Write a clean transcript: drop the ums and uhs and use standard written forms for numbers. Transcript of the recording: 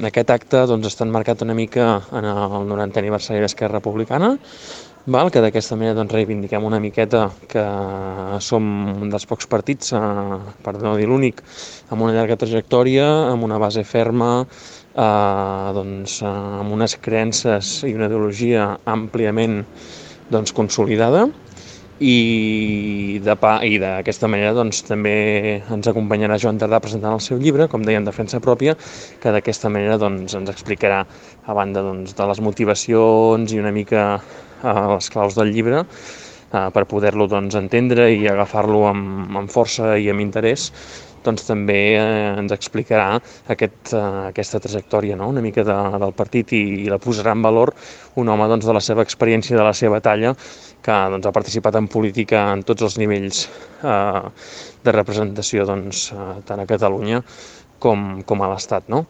Aquest acte doncs, està enmarcat una mica en el 90è aniversari d'Esquerra Republicana, que d'aquesta manera doncs, reivindiquem una miqueta que som un dels pocs partits, per no dir l'únic, amb una llarga trajectòria, amb una base ferma, amb unes creences i una ideologia àmpliament consolidada, i d'aquesta manera doncs, també ens acompanyarà Joan Tardà presentant el seu llibre, com deia, en defensa pròpia, que d'aquesta manera doncs, ens explicarà, a banda doncs, de les motivacions i una mica les claus del llibre, per poder-lo doncs, entendre i agafar-lo amb força i amb interès, doncs també ens explicarà aquesta trajectòria, no? Una mica del partit, i la posarà en valor un home doncs, de la seva experiència, de la seva talla, que doncs, ha participat en política en tots els nivells de representació, doncs, tant a Catalunya com a l'Estat, no?